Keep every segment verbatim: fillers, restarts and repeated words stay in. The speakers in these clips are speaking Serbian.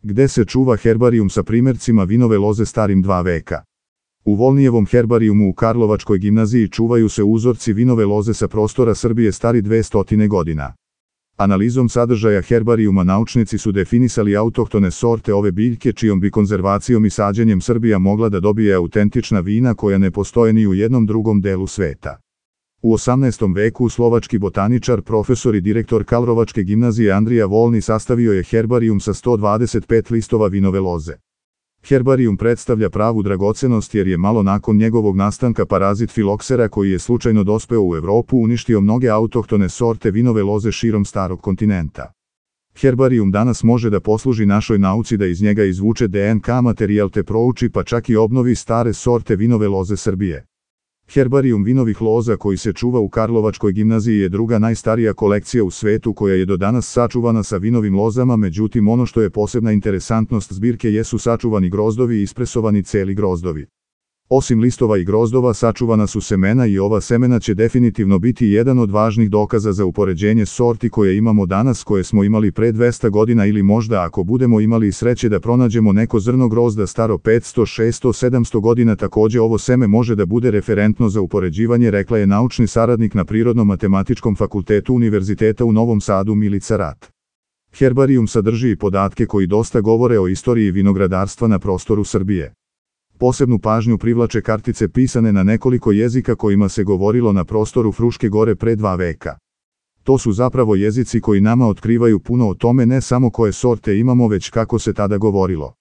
gde se čuva herbarijum sa primercima vinove loze starim dva veka. U Volnijevom herbarijumu u Karlovačkoj gimnaziji čuvaju se uzorci vinove loze sa prostora Srbije stari dve stotine godina. Analizom sadržaja herbarijuma naučnici su definisali autohtone sorte ove biljke čijom bi konzervacijom i sađenjem Srbija mogla da dobije autentična vina koja ne postoje ni u jednom drugom delu sveta. U osamnaestom veku slovački botaničar, profesor i direktor Karlovačke gimnazije Andrija Volni sastavio je herbarijum sa sto dvadeset pet listova vinove loze. Herbarijum predstavlja pravu dragocenost jer je malo nakon njegovog nastanka parazit filoksera koji je slučajno dospeo u Evropu uništio mnoge autohtone sorte vinove loze širom starog kontinenta. Herbarijum danas može da posluži našoj nauci da iz njega izvuče D N K materijal te prouči pa čak i obnovi stare sorte vinove loze Srbije. Herbarijum vinovih loza koji se čuva u Karlovačkoj gimnaziji je druga najstarija kolekcija u svetu koja je do danas sačuvana sa vinovim lozama, međutim ono što je posebna interesantnost zbirke jesu sačuvani grozdovi i ispresovani celi grozdovi. Osim listova i grozdova sačuvana su semena i ova semena će definitivno biti jedan od važnih dokaza za upoređenje sorti koje imamo danas koje smo imali pre dvesta godina ili možda ako budemo imali sreće da pronađemo neko zrno grozda staro petsto, šesto, sedamsto godina takođe ovo seme može da bude referentno za upoređivanje, rekla je naučni saradnik na Prirodno-matematičkom fakultetu Univerziteta u Novom Sadu Milica Rat. Herbarijum sadrži i podatke koji dosta govore o istoriji vinogradarstva na prostoru Srbije. Posebnu pažnju privlače kartice pisane na nekoliko jezika kojima se govorilo na prostoru Fruške gore pre dva veka. To su zapravo jezici koji nama otkrivaju puno o tome ne samo koje sorte imamo već kako se tada govorilo.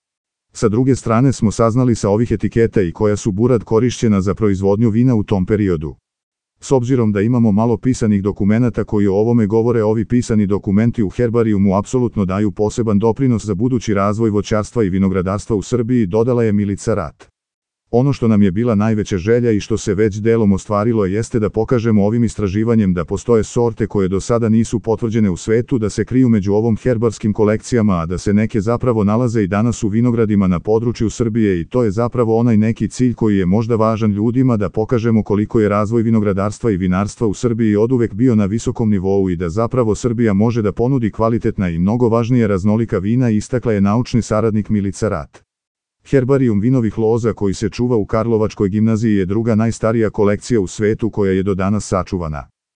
Sa druge strane smo saznali sa ovih etiketa i koja su burad korišćena za proizvodnju vina u tom periodu. S obzirom da imamo malo pisanih dokumenata koji o ovome govore, ovi pisani dokumenti u herbarijumu apsolutno daju poseban doprinos za budući razvoj voćarstva i vinogradarstva u Srbiji, dodala je Milica Rat. Ono što nam je bila najveća želja i što se već delom ostvarilo jeste da pokažemo ovim istraživanjem da postoje sorte koje do sada nisu potvrđene u svetu, da se kriju među ovom herbarskim kolekcijama, a da se neke zapravo nalaze i danas u vinogradima na području Srbije i to je zapravo onaj neki cilj koji je možda važan ljudima, da pokažemo koliko je razvoj vinogradarstva i vinarstva u Srbiji oduvek bio na visokom nivou i da zapravo Srbija može da ponudi kvalitetna i mnogo važnije raznolika vina, istakla je naučni saradnik Milica Rat. Herbarijum vinovih loza koji se čuva u Karlovačkoj gimnaziji je druga najstarija kolekcija u svetu koja je do danas sačuvana.